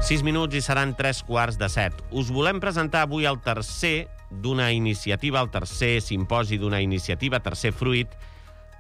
6 minuts i seran 3:15. Us volem presentar avui el tercer d'una iniciativa, el tercer simposi d'una iniciativa, tercer fruit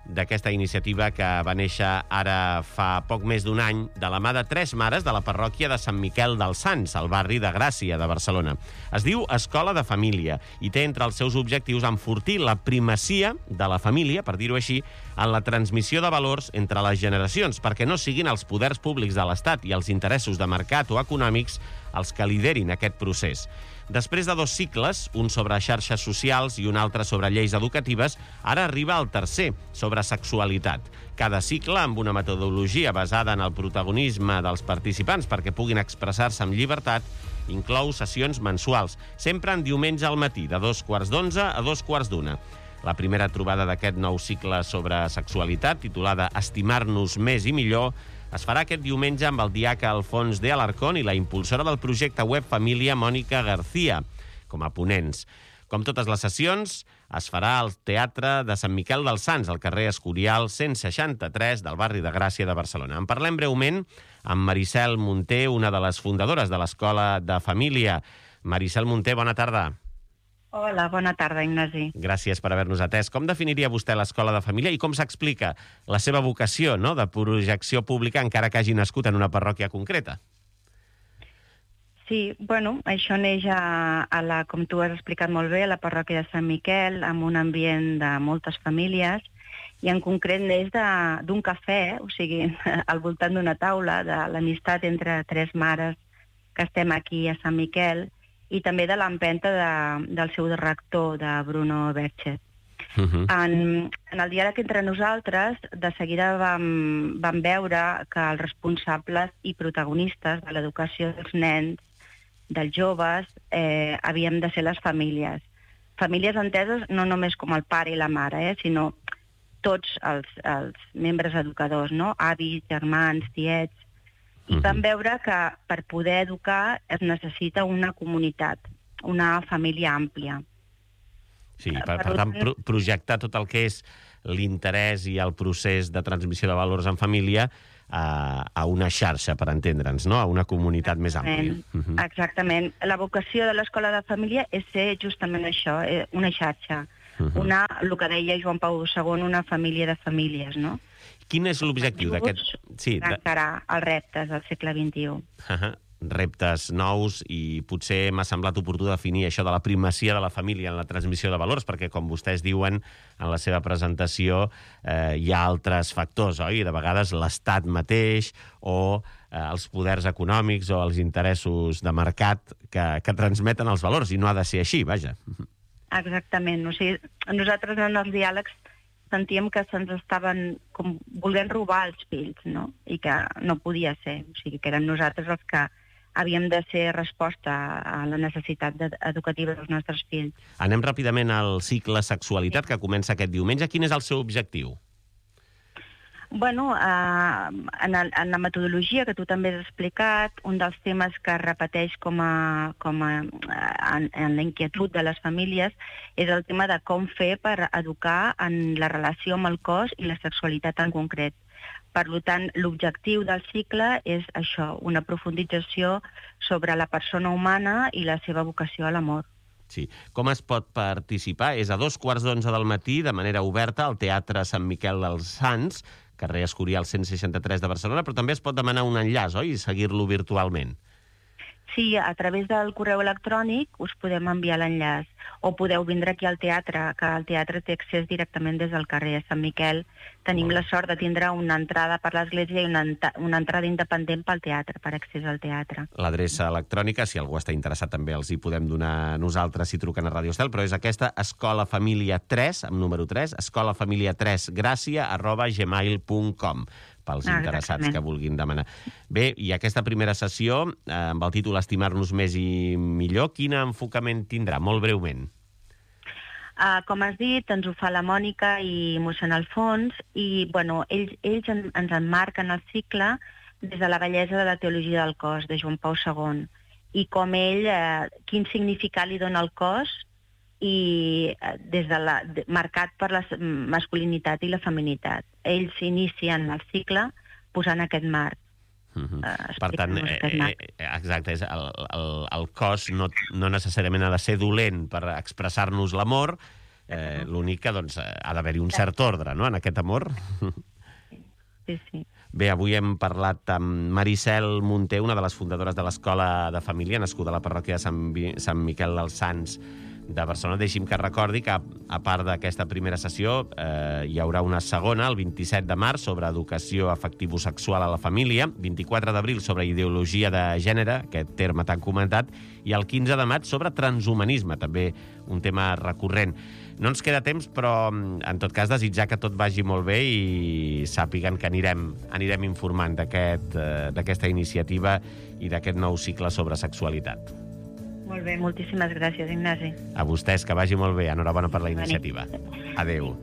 d'aquesta iniciativa que va néixer ara fa poc més d'un any de la mà de 3 mares de la parròquia de Sant Miquel dels Sants, al barri de Gràcia de Barcelona. Es diu Escola de Família i té entre els seus objectius enfortir la primacia de la família, per dir-ho així, en la transmissió de valors entre les generacions, perquè no siguin els poders públics de l'Estat i els interessos de mercat o econòmics els que liderin aquest procés. Després de 2 cicles, un sobre xarxes socials i un altre sobre lleis educatives, ara arriba el tercer, sobre sexualitat. Cada cicle amb una metodologia basada en el protagonisme dels participants perquè puguin expressar-se amb llibertat, inclou sessions mensuals, sempre en diumenge al matí, de 11:15 a 14:45. La primera trobada d'aquest nou cicle sobre sexualitat, titulada Estimar-nos més i millor, es farà aquest diumenge amb el diaca Alfons de Alarcón i la impulsora del projecte web Família, Mònica García, com a ponents. Com totes les sessions, es farà al Teatre de Sant Miquel dels Sants, al carrer Escorial 163 del barri de Gràcia de Barcelona. En parlem breument amb Maricel Munté, una de les fundadores de l'Escola de Família. Maricel Munté, bona tarda. Hola, bona tarda, Ignasi. Gràcies per haver-nos atès. Com definiria vostè l'Escola de Família i com s'explica la seva vocació, no?, de projecció pública, encara que hagi nascut en una parròquia concreta? Sí, bueno, això neix com tu has explicat molt bé, a la parròquia de Sant Miquel, amb un ambient de moltes famílies, i en concret neix d'un cafè, o sigui, al voltant d'una taula, de l'amistat entre 3 mares que estem aquí a Sant Miquel, i també de l'empenta del seu rector, de Bruno Berchet. En el diàleg entre nosaltres, de seguida vam veure que els responsables i protagonistes de l'educació dels nens, dels joves, havíem de ser les famílies. Famílies enteses no només com el pare i la mare, sinó tots els membres educadors, no? Avis, germans, tiets. I vam veure que per poder educar es necessita una comunitat, una família àmplia. Sí, per tant, projectar tot el que és l'interès i el procés de transmissió de valors en família a una xarxa, per entendre'ns, no?, a una comunitat més àmplia. Exactament. La vocació de l'Escola de Família és ser justament això, una xarxa. El que deia Joan Pau II, una família de famílies, no? Quin és l'objectiu d'aquest... Encarar els reptes del segle XXI. Reptes nous, i potser m'ha semblat oportú definir això de la primacia de la família en la transmissió de valors, perquè, com vostès diuen en la seva presentació, hi ha altres factors, oi? De vegades l'Estat mateix o els poders econòmics o els interessos de mercat que transmeten els valors, i no ha de ser així, vaja. Exactament. O sigui, nosaltres en els diàlegs sentíem que se'ns estaven com volent robar els fills, no? I que no podia ser. O sigui, que érem nosaltres els que havíem de ser resposta a la necessitat educativa dels nostres fills. Anem ràpidament al cicle Sexualitat, que comença aquest diumenge. Quin és el seu objectiu? Bueno, en la metodologia que tu també has explicat, un dels temes que es repeteix en la inquietud de les famílies és el tema de com fer per educar en la relació amb el cos i la sexualitat en concret. Per tant, l'objectiu del cicle és això, una profundització sobre la persona humana i la seva vocació a l'amor. Sí. Com es pot participar? És a 11:15 del matí, de manera oberta, al Teatre Sant Miquel dels Sants, carrer Escorial 163 de Barcelona, però també es pot demanar un enllaç, oi?, i seguir-lo virtualment. Sí, a través del correu electrònic us podem enviar l'enllaç, o podeu vindre aquí al teatre, que el teatre té accés directament des del carrer de Sant Miquel. Tenim la sort de tindre una entrada per l'església i una entrada independent pel teatre, per accés al teatre. L'adreça electrònica, si algú està interessat, també els hi podem donar nosaltres si truquen a Radio Estel, però és aquesta, escolafamilia3, amb número 3, escolafamilia3gracia@gmail.com, pels interessats que vulguin demanar. Bé, i aquesta primera sessió, amb el títol Estimar-nos més i millor, quin enfocament tindrà? Molt breument. Com has dit, ens ho fa la Mònica i mossèn Alfons, i bueno, ells ens emmarquen el cicle des de la bellesa de la teologia del cos, de Joan Pau II, i com quin significat li dona al cos, i marcat per la masculinitat i la feminitat. Ells inicien el cicle posant aquest marc. Per tant, exacte, el cos no necessàriament ha de ser dolent per expressar-nos l'amor, l'únic que ha d'haver-hi un cert ordre, no?, en aquest amor. Sí. Bé, avui hem parlat amb Maricel Munté, una de les fundadores de l'Escola de Família, nascuda a la parròquia de Sant Miquel dels Sants de Barcelona. Deixi'm que recordi que, a part d'aquesta primera sessió, hi haurà una segona, el 27 de març, sobre educació afectivo-sexual a la família, 24 d'abril sobre ideologia de gènere, aquest terme tan comentat, i el 15 de maig sobre transhumanisme, també un tema recurrent. No ens queda temps, però, en tot cas, desitjar que tot vagi molt bé i sàpiguen que anirem informant d'aquesta iniciativa i d'aquest nou cicle sobre sexualitat. Molt bé, moltíssimes gràcies, Ignasi. A vostès, que vagi molt bé. Enhorabona per la iniciativa. Adéu.